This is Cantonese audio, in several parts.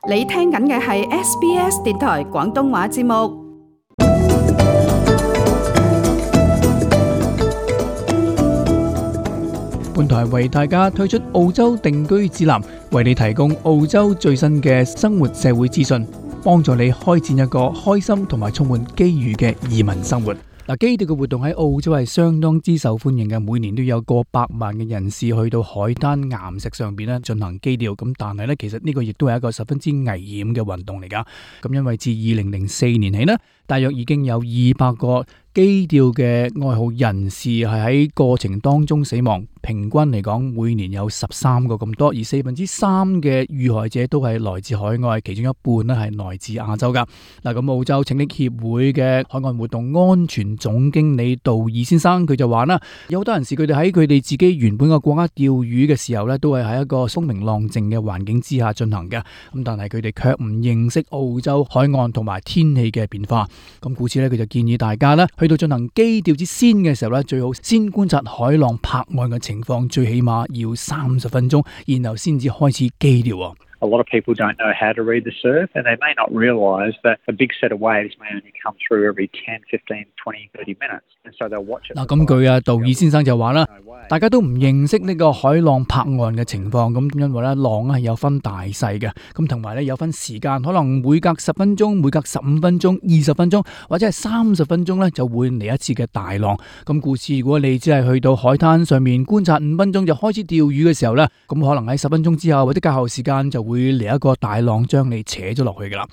你聽緊嘅係 SBS 電台廣東話節目。本台為大家推出澳洲定居指南，為你提供澳洲最新嘅生活社會資訊，幫助你開展一個開心同埋充滿機遇嘅移民生活。基釣嘅活動喺澳洲係相當之受歡迎嘅，每年都有過百萬嘅人士去到海灘岩石上邊咧進行基釣。咁但係咧，其實呢個亦都係一個十分之危險嘅運動嚟噶。咁因為自2004年起呢，大約已經有200個基釣嘅愛好人士係喺過程當中死亡，平均嚟講每年有13個咁多，而3%嘅遇害者都係來自海外，其中一半咧係來自亞洲噶。咁澳洲拯溺協會嘅海岸活動安全總經理杜爾先生佢就話啦，有好多人士佢哋喺佢哋自己原本嘅國家釣魚嘅時候咧，都係喺一個風平浪靜嘅環境之下進行嘅。咁但係佢哋卻唔認識澳洲海岸同埋天氣嘅變化。咁故此咧，佢就建議大家咧去到進行基釣之先嘅時候咧，最好先觀察海浪拍岸嘅情況，最起碼要30分鐘，然後先至開始基釣。A lot of people don't know how to read the surf, and they may not realise that a big set of waves may only come through every 10, 15, 20, 30 minutes. And so they'll watch it. 咁佢杜爾先生就話啦，大家都唔認識呢個海浪拍岸嘅情況，咁因為咧浪係有分大細嘅，咁同埋咧有分時間，可能每隔10分鐘、每隔15分鐘、20分鐘或者係30分鐘咧就會嚟一次嘅大浪。咁故此，如果你只係去到海灘上面觀察5分鐘就開始釣魚嘅時候咧，咁可能喺10分鐘之後或者較後時間就會嚟一個大浪將你扯咗落去噶啦。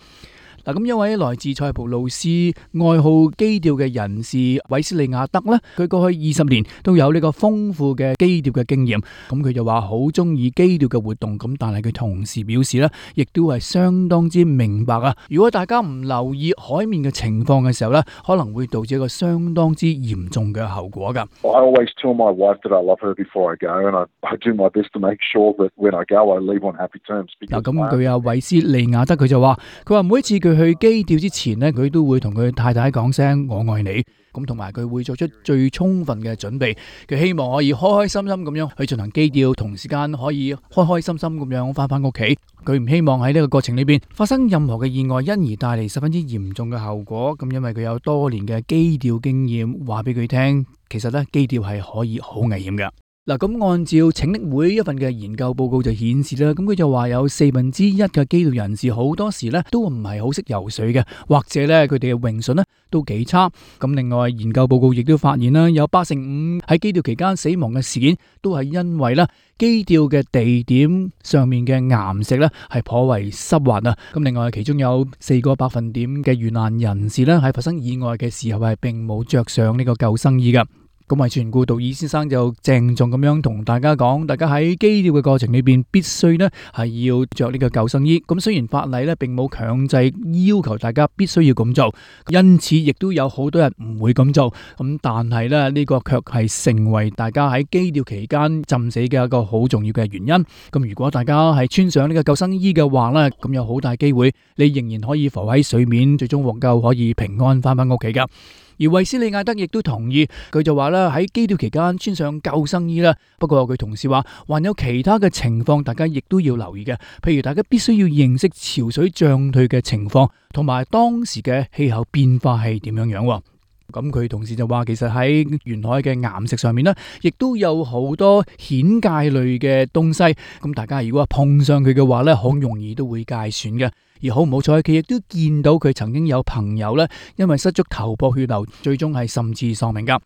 咁一位來自塞浦路斯愛好基釣嘅人士韋斯利亞德呢，佢過去20年都有呢個豐富嘅基釣嘅經驗。咁佢就話好中意基釣嘅活動，咁但係佢同時表示呢，亦都係相當之明白啊。如果大家唔留意海面嘅情況嘅時候呢，可能會導致一個相當之嚴重嘅後果噶。I always tell my wife that I love her before I go, and I do my best to make sure that when I go, I leave on happy terms. 咁佢韋斯利亞德佢就話，每次佢去基釣之前呢，佢都會同佢太太講聲我愛你，咁同埋佢會做出最充分嘅準備，佢希望可以開開心心咁樣去進行基釣，同時間可以開開心心咁樣翻屋企。佢唔希望喺呢個過程裏邊發生任何嘅意外，因而帶嚟十分之嚴重嘅後果。咁因為佢有多年嘅基釣經驗，話俾佢聽，其實咧基釣係可以好危險嘅。咁按照拯溺會一份嘅研究報告就顯示啦，咁佢就話有1/4嘅基釣人士好多時咧都唔係好識游水嘅，或者咧佢哋嘅泳術咧都幾差。咁另外研究報告亦都發現啦，有85%喺基釣期間死亡嘅事件都係因為咧基釣嘅地點上面嘅岩石咧係頗為濕滑啊。咁另外其中有4%嘅遇難人士咧喺發生意外嘅時候係並冇着上呢個救生衣噶。咁為全顧杜爾先生就鄭重咁樣同大家講，大家喺基釣嘅過程裏邊必須呢係要着呢個救生衣。咁雖然法例呢並冇強制要求大家必須要咁做，因此亦都有好多人唔會咁做。咁但係呢，呢個卻係成為大家喺基釣期間浸死嘅一個好重要嘅原因。咁如果大家係穿上呢個救生衣嘅話呢，咁有好大機會你仍然可以浮喺水面，最終獲救，可以平安翻屋企噶。而韋斯利亞德亦都同意，佢就話啦，喺基釣期間穿上救生衣啦。不過佢同時話，還有其他嘅情況，大家亦都要留意嘅。譬如大家必須要認識潮水漲退嘅情況，同埋當時嘅氣候變化係點樣樣。咁佢同時就話，其實喺沿海嘅岩石上面呢，亦都有好多蜆介類嘅東西。咁大家如果碰上佢嘅話呢，好容易都會介損嘅。而好唔好彩，佢亦都見到佢曾經有朋友呢，因為失足頭破血流，最終係甚至喪命噶。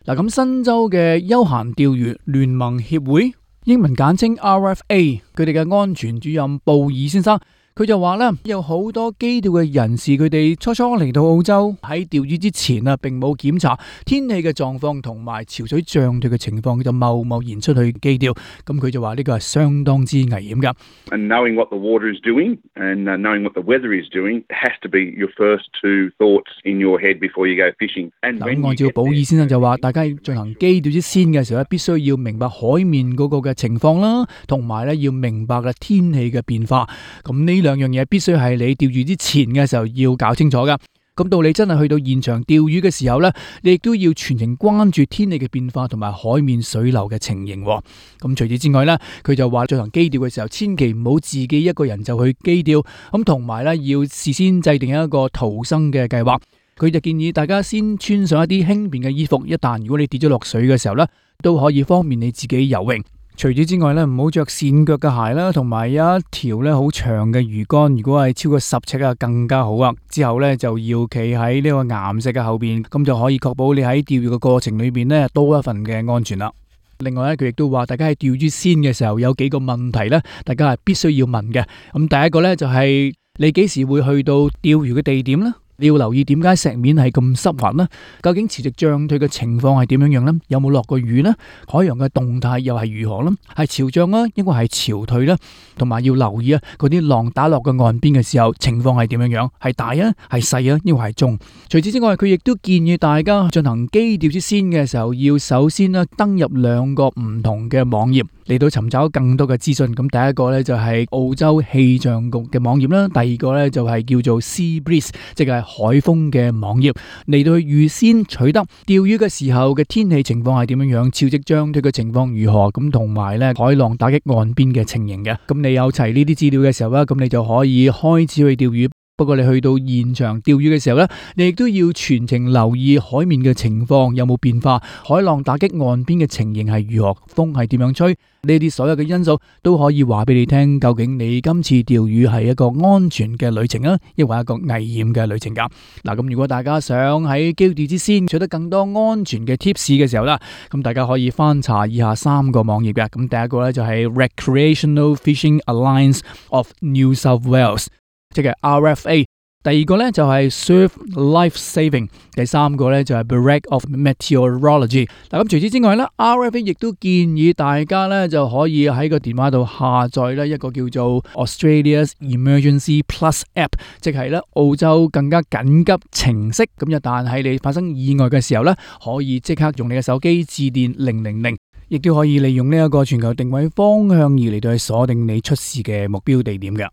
咁新州嘅休閒釣魚聯盟協會，英文簡稱 RFA， 佢哋嘅安全主任布爾先生，佢就話啦，有好多基釣嘅人士，佢哋初初嚟到澳洲喺釣魚之前啊，並冇檢查天氣嘅狀況同埋潮水漲退嘅情況，佢就貿然出去基釣。咁佢就話呢個係相當之危險噶。And knowing what the water is doing and knowing what the weather is doing has to be your first two thoughts in your head before you go fishing. 咁按照保爾先生就話，大家進行基釣之先嘅時候咧，必須要明白海面嗰個嘅情況啦，同埋咧要明白嘅天氣嘅變化。咁呢兩樣嘢必須係你釣魚之前嘅時候要搞清楚噶。咁到你真係去到現場釣魚嘅時候呢，你亦都要全程關注天氣嘅變化同埋海面水流嘅情形。咁除此之外呢，佢就話進行磯釣嘅時候，千祈唔好自己一個人就去磯釣，咁同埋呢要事先制定一個逃生嘅計劃。佢就建議大家先穿上一啲輕便嘅衣服，一旦如果你跌咗落水嘅時候呢，都可以方便你自己游泳。除此之外咧，唔好着跣腳嘅鞋啦，同埋有一條咧好長嘅魚竿，如果係超過10尺啊，更加好啊。之後咧就要企喺呢個岩石嘅後邊，咁就可以確保你喺釣魚嘅過程裏邊咧多一份嘅安全啦。另外咧，佢亦都話大家喺釣魚先嘅時候有幾個問題咧，大家係必須要問嘅。咁第一個咧就係你幾時會去到釣魚嘅地點咧？你要留意點解石面係咁濕滑呢？究竟潮汐漲退嘅情況係點樣樣呢？有冇落過雨呢？海洋嘅動態又係如何呢？係潮漲啊，抑或係潮退呢？同埋要留意啊，嗰啲浪打落個岸邊嘅時候，情況係點樣樣？係大啊，係細啊，抑或係中？除此之外，佢亦都建議大家進行磯釣之先嘅時候，要首先呢登入2個唔同嘅網頁嚟到尋找更多嘅資訊。咁第一個呢，就係澳洲氣象局嘅網頁啦，第二個呢，就係叫做 Sea Breeze， 即係海風嘅網頁，嚟到去預先取得釣魚嘅時候嘅天氣情況係點樣樣，潮汐漲退嘅情況如何，咁同埋咧海浪打擊岸邊嘅情形嘅。咁你有齊呢啲資料嘅時候咧，咁你就可以開始去釣魚。不過你去到現場釣魚嘅時候呢，你亦都要全程留意海面嘅情況有冇變化，海浪打擊岸邊嘅情形係如何，風係點樣吹，呢啲所有嘅因素都可以話俾你聽，究竟你今次釣魚係一個安全嘅旅程啊，抑或一個危險嘅旅程噶。嗱，咁如果大家想喺磯釣之先取得更多安全嘅 tips 嘅時候啦，咁大家可以翻查以下3個網頁嘅。咁第一個呢，就係 Recreational Fishing Alliance of New South Wales，即係 RFA， 第二個呢就係 Surf Life Saving， 第三個呢就係 Bureau of Meteorology。嗱，咁除此之外呢， RFA 亦都建議大家呢就可以喺個電話度下載呢一個叫做 Australia's Emergency Plus App， 即係呢澳洲更加緊急程式。咁一旦喺你發生意外嘅時候呢，可以即刻用你嘅手機致電000，亦都可以利用呢一個全球定位方向儀嚟到去鎖定你出事嘅目標地點嘅。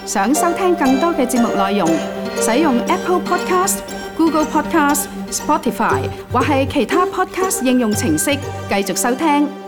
想收聽更多嘅節目內容，使用 Apple Podcast、Google Podcast、Spotify 或係其他 Podcast 應用程式繼續收聽。